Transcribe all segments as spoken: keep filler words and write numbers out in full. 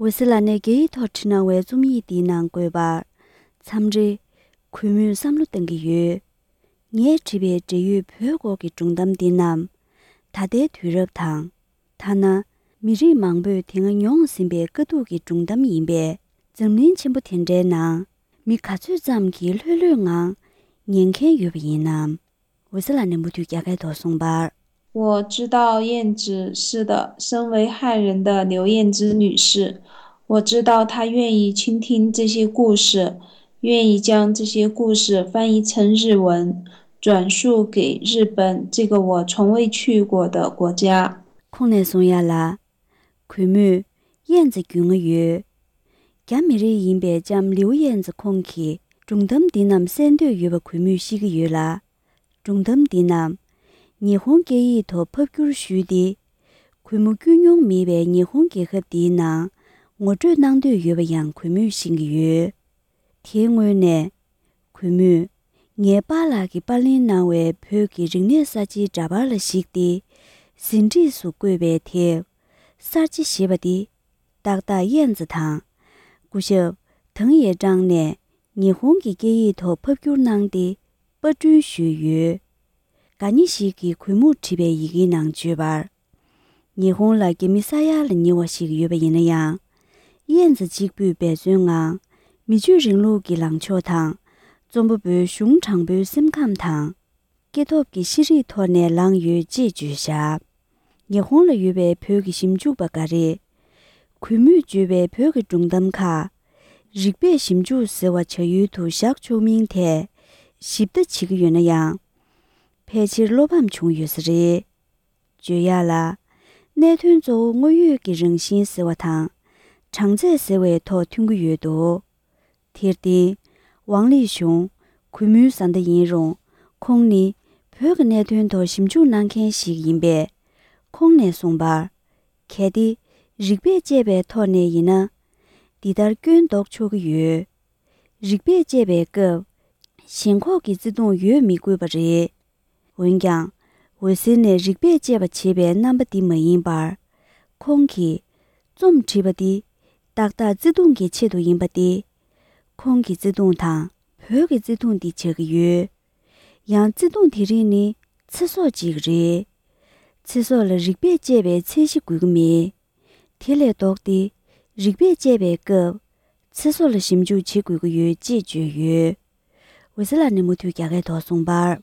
འོད་ཟེར་ལགས་ནས་རྒྱ་ཡིག་ཐོག་བྲིས་གནང་བའི་རྩོམ་ཡིག་འདིའི་ནང་བཀོད་པར། མཚམས་རེ། གུས་མོས་བསམ་བློ་གཏང་གི་ཡོད། ངས་བྲིས་པའི་འབྲེལ་ཡོད་བོད་སྐོར་གྱི་སྒྲུང་གཏམ་འདི་རྣམས། ད་ལྟའི་དུས་རབས་དང་། ཐ་ན། མི་རིགས་མང་པོས་དེ་སྔ་མྱོང་ཟིན་པའི་དཀའ་སྡུག་གི་སྒྲུང་གཏམ་ཡིན་པས། འཛམ་གླིང་ཆེན་པོ་དེ་འདྲའི་ནང་། མི་ག་ཚོད་ཙམ་གྱིས་ལྷོད་ལྷོད་ངང་ཉན་མཁན་ཡོད་པ་ཡིན་ནམ། འོད་ཟེར་ལགས་ནས་མུ་མཐུད་རྒྱ་སྐད་ཐོག་གསུངས་པར། 我知道燕子，是的，身为汉人的刘燕子女士，我知道她愿意倾听这些故事，愿意将这些故事翻译成日文，转述给日本这个我从未去过的国家。 ཁོང་ནས་གསུང་ཡ་ལ། གུས་མོས་ཡན་ཙི་རྒྱུས་མངའ་ཡོད། རྒྱ་མི་རིགས་ཡིན་པའི་ལྕམ་ལིའུ་ཡན་ཙི་ཁོང་གིས་སྒྲུང་གཏམ་འདི་རྣམས་གསན་འདོད་ཡོད་པ་གུས་མོས་ཤེས་ཀྱི་ཡོད་ལ། སྒྲུང་གཏམ་འདི་རྣམས་ཉི་ཧོང་སྐད་ཡིག་ཐོག་ཕབ་བསྒྱུར་ཞུས་ཏེ། གུས་མོ་བསྐྱོད་མྱོང་མེད་པའི་ཉི་ཧོང་རྒྱལ་ཁབ་འདིའི་ནང་ངོ་སྤྲོད་གནང་འདོད་ཡོད་པ་ཡང་གུས་མོས་ཤེས་ཀྱི་ཡོད། དེའི་སྔོན་ནས། གུས་མོས། ངའི་པཱ་ལགས་ཀྱིས་པར་ལེན་གནང་བའི་བོད་ཀྱི་རིག་གནས་གསར་བརྗེའི་འདྲ་པར་ལ་གཞིགས་ཏེ། ཟིན་བྲིས་སུ་བཀོད་པའི་དེབ། གསར་བརྗེ་ཞེས་པ་འདི། ཏག་ཏག་ཡན་ཙི་དང་། སྐུ་ཞབས་ཐང་ཡེ་ཀྲང་ནས་ཉི་ཧོང་གི་སྐད་ཡིག་ཐོག་ཕབ་བསྒྱུར་གནང་སྟེ། པར་སྐྲུན་ཞུས་ཡོད། ག་ཉི་ཞིག་གིས་གུས་མོར་བྲིས་པའི་ཡི་གེའི་ནང་བརྗོད་པར། ཉི་ཧོང་ལ་རྒྱ་མི་ས་ཡ་ལ་ཉེ་བ་ཞིག་ཡོད་པ་ཡིན་ན་ཡང་། ཡན་ཙི་གཅིག་པུས་འབད་བརྩོན་ངང་། མི་ཆོས་རིང་ལུགས་ཀྱི་ལངས་ཕྱོགས་དང་། རྩོམ་པ་པོའི་གཞུང་དྲང་པོའི་སེམས་ཁམས་དང་། སྐྱེ་སྟོབས་ཀྱི་ཤེས་རིག་ཐོག་ནས་ལངས་ཡོད་ཅེས་བརྗོད་བཞག་ཉི་ཧོང་ལ་ཡོད་པའི་བོད་ཀྱི་ཞིབ་འཇུག་པ་འགའ་རེས། གུས་མོས་བརྗོད་པའི་བོད་ཀྱི་སྒྲུང་གཏམ་ཁག་རིག་པས་ཞིབ་འཇུག་ཟེར་བ་བྱ་ཡུལ་དུ་བཞག་ཆོག་མིན་ཐད་ཞིབ་ལྟ་བྱེད་ཀྱི་ཡོད་ན་ཡང་། ཕལ་ཆེར་བློ་ཕམ་བྱུང་ཡོད་ས་རེད། བརྗོད་ཡག་ལ། གནད་དོན་གཙོ་བོ་དངོས་ཡོད་ཀྱི་རང་བཞིན་ཟེར་བ་དང་། གྲངས་ཚད་ཟེར་བའི་ཐོག་མཐུན་གྱི་ཡོད་འདུག་དེར་བརྟེན། ཝང་ལི་ཞུང་། གུས་མོའི་བཟའ་ཟླ་ཡིན་རུང་། ཁོང་ནི་བོད་ཀྱི་གནད་དོན་ཐོག་ཞིབ་འཇུག་གནང་མཁན་ཞིག་ཡིན་པས། ཁོང་ནས་གསུངས་པར། གལ་ཏེ་རིག་པས་དཔྱད་པའི་ཐོག་ནས་ཡིན་ན། འདི་ལྟར་སྐྱོན་འདོགས་ཆོག་གི་ཡོད། རིག་པས་དཔྱད་པའི་སྐབས། ཞེན་ཁོག་གི་བརྩེ་དུང་ཡོད་མི་དགོས་པ་རེད། འོན་ཀྱང་། འོད་ཟེར་ནས་རིག་པས་དཔྱད་པ་བྱེད་པའི་རྣམ་པ་འདི་མ་ཡིན་པར། ཁོང་གིས། རྩོམ་བྲིས་པ་འདི། ཏག་ཏག་བརྩེ་དུང་གི་ཆེད་དུ་ཡིན་པ་སྟེ། ཁོང་གི་བརྩེ་དུང་དང་བོད་ཀྱི་བརྩེ་དུང་འདི་ཆགས་ཀྱི་ཡོད། ཡང་བརྩེ་དུང་དེ་རིགས་ནི་ཚེ་སྲོག་ཅིག་རེད། ཚེ་སྲོག་ལ་རིག་པས་དཔྱད་པའི་ཚད་གཞི་དགོས་ཀྱི་མེད། དེ་ལས་ལྡོག་སྟེ་རིག་པས་དཔྱད་པའི་སྐབས། ཚེ་སྲོག་ལ་ཞིབ་འཇུག་བྱེད་དགོས་ཀྱི་ཡོད་ཅེས་བརྗོད་ཡོད། འོད་ཟེར་ལགས་ནས་མུ་མཐུད་རྒྱ་སྐད་ཐོག་གསུངས་པར།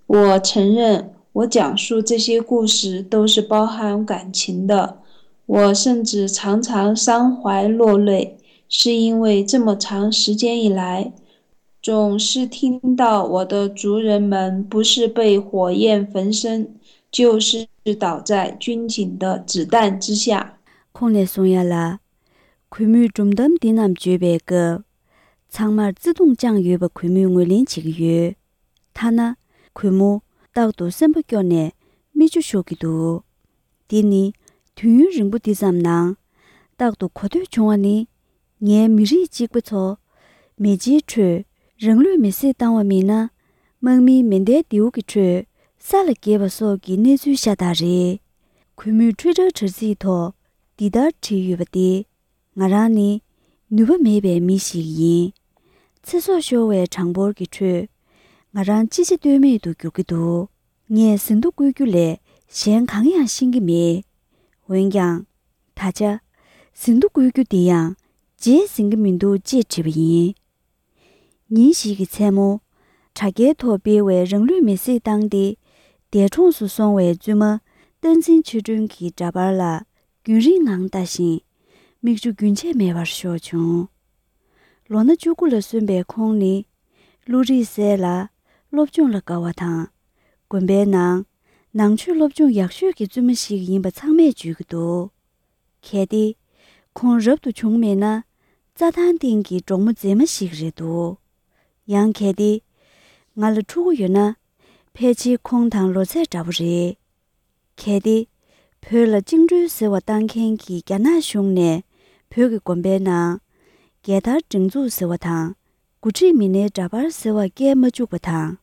我承认，我讲述这些故事都是包含感情的，我甚至常常伤怀落泪，是因为这么长时间以来，总是听到我的族人们不是被火焰焚身，就是倒在军警的子弹之下。 ཁོང་ནས་གསུང་ཡ་ལ། གུས་མོས་སྒྲུང་གཏམ་འདི་རྣམས་བརྗོད་པའི་སྐབས། ཚང་མར་བརྩེ་དུང་བཅངས་ཡོད་པ་གུས་མོས་ངོས་ལེན་བྱེད་ཀྱི་ཡོད། ཐ་ན། གུས་མོ། རྟག་ཏུ་སེམས་པ་སྐྱོ་ནས་མིག་ཆུ་ཤོར་གྱི་འདུག་འདི་ནི། དུས་ཡུན་རིང་པོ་འདི་ཙམ་ནང་། རྟག་ཏུ་གོ་ཐོས་བྱུང་བ་ནི། ངའི་མི་རིགས་གཅིག་པ་ཚོ། མེ་ལྕེའི་ཁྲོད། རང་ལུས་མེར་སྲེག་བཏང་བ་མིན་ན། དམག་མིའི་མེ་མདའི་མདེའུ་གི་ཁྲོད། ས་ལ་འགྱེལ་བ་སོགས་ཀྱི་གནས་ཚུལ་ཤ་སྟག་རེད། གུས་མོས་ཊུའི་ཊར་དྲ་ཚིགས་ཐོག་འདི་ལྟར་བྲིས་ཡོད་པ་སྟེ། ང་རང་ནི་ནུས་པ་མེད་པའི་མི་ཞིག་ཡིན། ཚེ་སྲོག་ཤོར་བའི་གྲངས་འབོར་གྱི་ཁྲོད། ང་རང་ཅི་བྱ་གཏོལ་མེད་དུ་འགྱུར་གྱི་འདུག་ངས་ཟིན་ཐོ་བཀོད་རྒྱུ་ལས་གཞན་གང་ཡང་ཤེས་ཀྱི་མེད། འོན་ཀྱང་། ད་ཆ། ཟིན་ཐོ་བཀོད་རྒྱུ་འདི་ཡང་རྗེས་ཟིན་གྱི་མི་འདུག་ཅེས་བྲིས་པ་ཡིན། ཉིན་ཞིག་གི་མཚན་མོ། དྲ་རྒྱའི་ཐོག་སྤེལ་བའི་རང་ལུས་མེར་སྲེག་བཏང་སྟེ། འདས་གྲོངས་སུ་སོང་བའི་བཙུན་མ་བསྟན་འཛིན་ཆོས་སྒྲོན་གྱི་འདྲ་པར་ལ་རྒྱུན་རིང་ངང་ལྟ་ཞིང་། མིག་ཆུ་རྒྱུན་ཆད་མེད་པར་ཤོར་བྱུང་། ལོ་ན་བཅུ་དགུ་ལ་སོན་པའི་ཁོང་ནི། བློ་རིག་གསལ་ལ། སློབ་སྦྱོང་ལ་དགའ་བ་དང་། དགོན་པའི་ནང་། ནང་ཆོས་སློབ་སྦྱོང་ཡག་ཤོས་ཀྱི་བཙུན་མ་ཞིག་ཡིན་པ་ཚང་མས་བརྗོད་ཀྱི་འདུག་གལ་ཏེ། ཁོང་རབ་ཏུ་བྱུང་མེད་ན། རྩྭ་ཐང་སྟེང་གི་འབྲོག་མོ་མཛེས་མ་ཞིག་རེད་འདུག་ཡང་གལ་ཏེ། ང་ལ་ཕྲུ་གུ་ཡོད་ན། ཕལ་ཆེར་ཁོང་དང་ལོ་ཚད་འདྲ་པོ་རེད། གལ་ཏེ། བོད་ལ་བཅིངས་འགྲོལ་ཟེར་བ་བཏང་མཁན་གྱི་རྒྱ་ནག་གཞུང་ནས་བོད་ཀྱི་དགོན་པའི་ནང་། རྒྱལ་དར་སྒྲེང་འཛུགས་ཟེར་བ་དང་། འགོ་ཁྲིད་མི་སྣའི་འདྲ་པར་ཟེར་བ་བཀལ་མ་བཅུག་པ་དང་།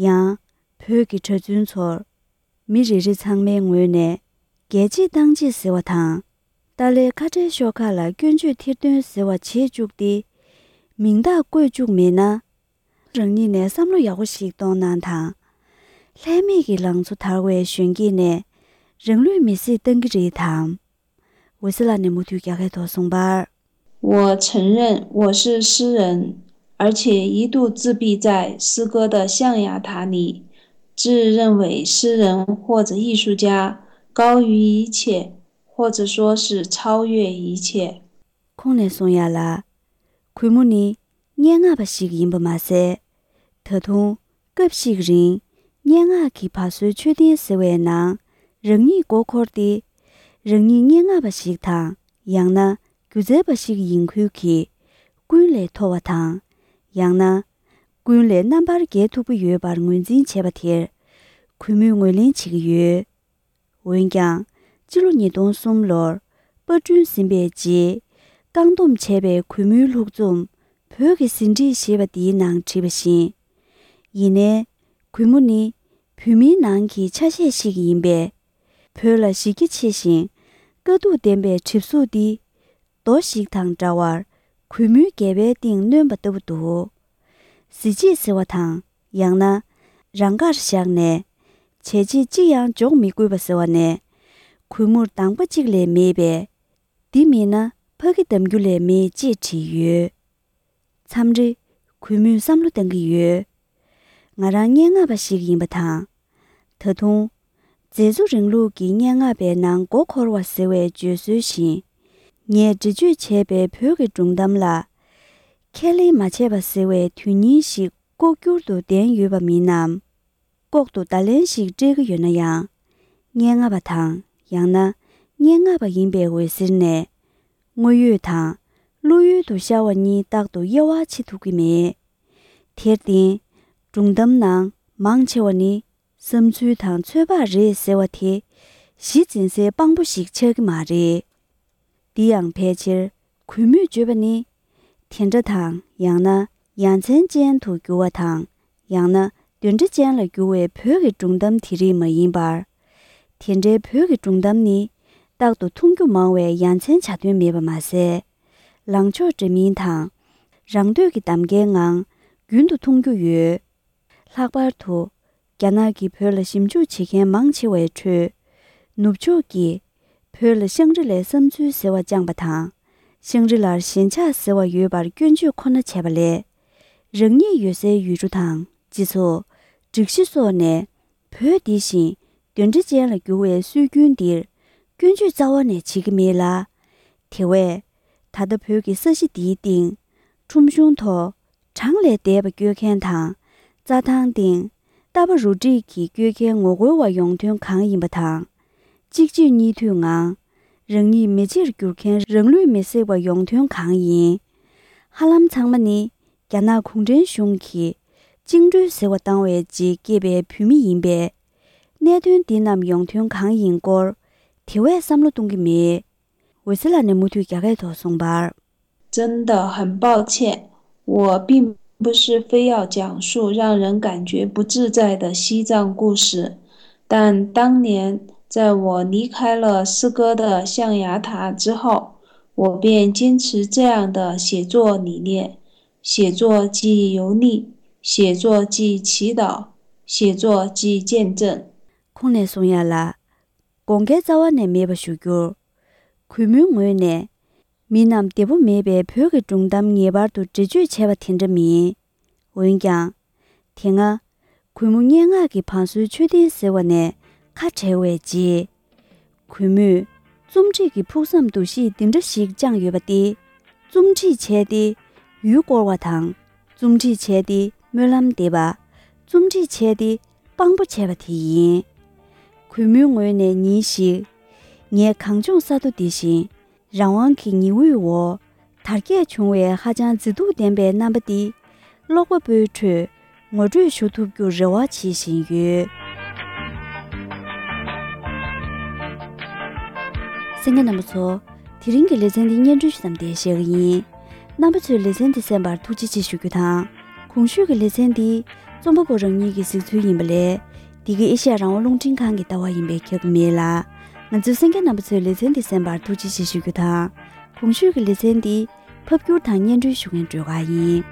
ཡང་། བོད་ཀྱི་གྲྭ་བཙུན་ཚོར། མི་རེ་རེ་ཚང་མའི་ངོས་ནས། རྒྱལ་གཅེས་བཏང་གཅེས་ཟེར་བ་དང་། ཏཱ་ལའི་ཁ་བྲལ་ཤོག་ཁག་ལ་སྐྱོན་བརྗོད་ཐེར་འདོན་ཟེར་བ་བྱེད་བཅུག་སྟེ། མིང་རྟགས་བཀོད་བཅུག་མེད་ན། རང་ཉིད་ནས་བསམ་བློ་ཡག་པོ་ཞིག་གཏོང་གནང་དང་། ལྷད་མེད་ཀྱི་ལང་ཚོ་དར་བའི་གཞོན་སྐྱེས་ནས་རང་ལུས་མེར་སྲེག་བཏང་གི་རེད་དམ། འོད་ཟེར་ལགས་ནས་མུ་མཐུད་རྒྱ་སྐད་ཐོག་གསུངས་པར། 我承认我是诗人，而且一度自闭在诗歌的象牙塔里，自认为诗人或者艺术家高于一切，或者说是超越一切。 ཁོང་ནས་གསུང་ཡ་ལ། གུས་མོ་ནི་སྙན་ངག་པ་ཞིག་ཡིན་པ་མ་ཟད། ད་དུང་སྐབས་ཤིག་རིང་སྙན་ངག་གི་བ་སོའི་མཆོད་རྟེན་ཟེར་བའི་ནང་རང་ཉིད་མགོ་འཁོར་ཏེ། རང་ཉིད་སྙན་ངག་པ་ཞིག་དང་ཡང་ན་སྒྱུ་རྩལ་པ་ཞིག་ཡིན་ཁུལ་གྱིས་ཀུན་ལས་མཐོ་བ་དང་། ཡང་ན་ཀུན་ལས་རྣམ་པར་རྒྱལ་ཐུབ་ཀྱི་ཡོད་པར་ངོས་འཛིན་བྱས་པ་དེར་གུས་མོས་ངོས་ལེན་བྱེད་ཀྱི་ཡོད། འོན་ཀྱང་། སྤྱི་ལོ་ཉིས་སྟོང་གསུམ་ལོར་པར་སྐྲུན་ཟིན་པའི་རྗེས། བཀག་སྡོམ་བྱས་པའི་གུས་མོའི་ལྷུག་རྩོམ་བོད་ཀྱི་ཟིན་བྲིས་ཞེས་པ་འདིའི་ནང་བྲིས་པ་བཞིན། ཡིན་ནའི། གུས་མོ་ནི་བོད་མིའི་ནང་གི་ཆ་ཤས་ཤིག་ཡིན་པས། བོད་ལ་གཞི་རྒྱ་ཆེ་ཞིང་དཀའ་སྡུག་ལྡན་པའི་གྲིབ་གཟུགས་འདི། རྡོ་ཞིག་དང་འདྲ་བར་གུས་མོའི་སྒལ་པའི་སྟེང་གནོན་པ་ལྟ་བུ་འདུག་གཟི་བརྗིད་ཟེར་བ་དང་ཡང་ན་རང་དགར་བཞག་ནས་བྱས་རྗེས་ཅི་ཡང་འཇོག་མི་དགོས་པ་ཟེར་བ་ནས་གུས་མོར་འདང་པ་གཅིག་ལས་མེད་པས། འདི་མིན་ན་ཕ་གི་འདམ་རྒྱུ་ལས་མེད་ཅེས་བྲིས་ཡོད། མཚམས་རེ་གུས་མོས་བསམ་བློ་གཏང་གི་ཡོད། ང་རང་སྙན་ངག་པ་ཞིག་ཡིན་པ་དང་། ད་དུང་མཛེས་བཟོ་རིང་ལུགས་ཀྱི་སྙན་ངག་པའི་ནང་མགོ་འཁོར་བ་ཟེར་བའི་བརྗོད་སྲོལ་བཞིན། ངས་འགྲེལ་བརྗོད་བྱས་པའི་བོད་ཀྱི་སྒྲུང་གཏམ་ལ་ཁས་ལེན་མ་བྱས་པ་ཟེར་བའི་དོན་སྙིང་ཞིག་ལྐོག་གྱུར་དུ་ལྡན་ཡོད་པ་མིན་ནམ། ལྐོག་ཏུ་བརྡ་ལན་ཞིག་སྤྲད་ཀྱི་ཡོད་ན་ཡང་། སྙན་ངག་པ་དང་ཡང་ན་སྙན་ངག་པ་ཡིན་པའི་འོད་ཟེར་ནས། དངོས་ཡོད་དང་བློ་ཡུལ་དུ་ཤར་བ་གཉིས་རྟག་ཏུ་དབྱེ་བ་ཕྱེ་ཐུབ་ཀྱི་མེད། དེར་བརྟེན། སྒྲུང་གཏམ་ནང་མང་ཆེ་བ་ནི་བསམ་ཚུལ་དང་ཚོད་དཔག་རེད་ཟེར་བ་དེ་གཞི་འཛིན་སའི་དཔང་པོ་ཞིག་ཆགས་ཀྱི་མ་རེད། འདི་ཡང་ཕལ་ཆེར་གུས་མོས་བརྗོད་པ་ནི། དེ་འདྲ་དང་ཡང་ན་ཡ་མཚན་ཅན་དུ་འགྱུར་བ་དང་ཡང་ན་དོན་འདྲ་ཅན་ལ་འགྱུར་བའི་བོད་ཀྱི་སྒྲུང་གཏམ་དེ་རིགས་མ་ཡིན་པར། དེ་འདྲའི་བོད་ཀྱི་སྒྲུང་གཏམ་ནི་རྟག་ཏུ་མཐོང་རྒྱུ་མང་བས་ཡ་མཚན་བྱ་དོན་མེད་པ་མ་ཟད། ལངས་ཕྱོགས་འདྲ་མིན་དང་། རང་འདོད་ཀྱི་གདམ་ཀའི་ངང་རྒྱུན་དུ་མཐོང་རྒྱུ་ཡོད། ལྷག་པར་དུ། རྒྱ་ནག་གིས་བོད་ལ་ཞིབ་འཇུག་བྱེད་མཁན་མང་ཆེ་བའི་ཁྲོད། ནུབ་ཕྱོགས་ཀྱིས་བོད་ལ་ཤང་རི་ལའི་བསམ་ཚུལ་ཟེར་བ་བཅངས་པ་དང་། ཤང་རི་ལར་ཞེན་ཆགས་ཟེར་བ་ཡོད་པར་སྐྱོན་བརྗོད་ཁོ་ན་བྱས་པ་ལས། རང་ཉིད་ཡོད་སའི་ཡུལ་གྲུ་དང་སྤྱི་ཚོགས། སྒྲིག་གཞི་སོགས་ནས་བོད་འདི་བཞིན་དོན་འདྲ་ཅན་ལ་འགྱུར་བའི་སྲོལ་རྒྱུན་འདིར་སྐྱོན་བརྗོད་རྩ་བ་ནས་བྱེད་ཀྱི་མེད་ལ། དེ་བས། ད་ལྟ་བོད་ཀྱི་ས་གཞི་འདིའི་སྟེང་ཁྲོམ་གཞུང་ཐོག་གྲངས་ལས་འདས་པ་སྐྱོད་མཁན་དང་། རྩྭ་ཐང་སྟེང་རྟ་པ་རུ་སྒྲིག་གིས་སྐྱོད་མཁན་ངོ་རྒོལ་བ་ཡོང་དོན་གང་ཡིན་པ་དང་། གཅིག་རྗེས་གཉིས་མཐུད་ངང་། རང་ཉིད་མེ་ལྕེར་གྱུར་མཁན་རང་ལུས་མེར་སྲེག་པ་ཡོང་དོན་གང་ཡིན། ཧ་ལམ་ཚང་མ་ནི་རྒྱ་ནག་གུང་ཁྲན་གཞུང་གིས་བཅིངས་འགྲོལ་ཟེར་བ་བཏང་བའི་རྗེས་སྐྱེས་པའི་བུད་མེད་ཡིན་པས། གནད་དོན་འདི་རྣམས་ཡོང་དོན་གང་ཡིན་སྐོར་དེ་བས་བསམ་བློ་གཏོང་གི་མེད། འོད་ཟེར་ལགས་ནས་མུ་མཐུད་རྒྱ་སྐད་ཐོག་གསུངས་པར། 真的很抱歉，我并不是非要讲述让人感觉不自在的西藏故事，但当年在我离开了诗歌的象牙塔之后，我便坚持这样的写作理念：写作即游历，写作即祈祷，写作即见证。 ཁོང་ནས་གསུང་ཡ་ལ། དགོངས་འགལ་རྩ་བ་ནས་མེད་པ་ཞུ་རྒྱུར། གུས་མོའི་ངོས་ནས། མི་རྣམས་བདེ་པོ་མེད་པའི་བོད་ཀྱི་སྒྲུང་གཏམ་ངེས་པར་དུ་འགྲེལ་བརྗོད་བྱས་པ་དེ་འདྲ་མིན། འོན་ཀྱང་། དེ་སྔ། གུས་མོ་སྙན་ངག་གི་བང་སོའི་མཆོད་རྟེན་ཟེར་བ་ནས་ཁ་བྲལ་བའི་རྗེས། གུས་མོས་རྩོམ་སྒྲིག་གི་ཕུགས་བསམ་འདུ་ཤེས་འདི་འདྲ་ཞིག་བཅངས་ཡོད་པ་སྟེ། རྩོམ་སྒྲིག་བྱས་ཏེ་ཡུལ་སྐོར་བ་དང་། རྩོམ་སྒྲིག་བྱས་ཏེ་སྨོན་ལམ་འདེབས་པ། རྩོམ་སྒྲིག་བྱས་ཏེ་དཔང་པོ་བྱས་པ་དེ་ཡིན། གུས་མོའི་ངོས་ནས་ཉིན་ཞིག་ངའི་གངས་ལྗོངས་ས་མཐོ་འདི་བཞིན་རང་དབང་གི་ཉི་འོད་འོག་དར་རྒྱས་བྱུང་བའི་ཧ་ཅང་མཛེས་སྡུག་ལྡན་པའི་རྣམ་པ་འདི་ཀློག་པ་པོའི་ཁྲོད་ངོ་སྤྲོད་ཞུ་ཐུབ་རྒྱུར་རེ་བ་བྱེད་བཞིན་ཡོད། གསན་མཁན་རྣམ་པ་ཚོ། དེ་རིང་གི་ལེ་ཚན་འདི་སྙན་སྒྲོན་ཞུ་མཚམས་འདིར་བཞག་གི་ཡིན། རྣམ་པ་ཚོས་ལེ་ཚན་འདི་གསན་པར་ཐུགས་རྗེ་ཆེ་ཞུ་རྒྱུ་དང་། གོང་ཞུས་ཀྱི་ལེ་ཚན་འདི་རྩོམ་པ་པོ་རང་ཉིད་ཀྱི་གཟིགས་ཚུལ་ཡིན་པ་ལས། འདི་ག་ཨེ་ཤ་ཡ་རང་དབང་རླུང་འཕྲིན་ཁང་གི་ལྟ་བ་ཡིན་པས་ཁྱབ་ཀྱི་མེད་ལ། ང་ཚོའི་གསན་མཁན་རྣམ་པ་ཚོས་ལེ་ཚན་འདི་གསན་པར་ཐུགས་རྗེ་ཆེ་ཞུ་རྒྱུ་དང་། གོང་ཞུས་ཀྱི་ལེ་ཚན་འདི་ཕབ་སྒྱུར་དང་སྙན་སྒྲོན་ཞུ་མཁན་སྒྲོལ་དཀར་ཡིན།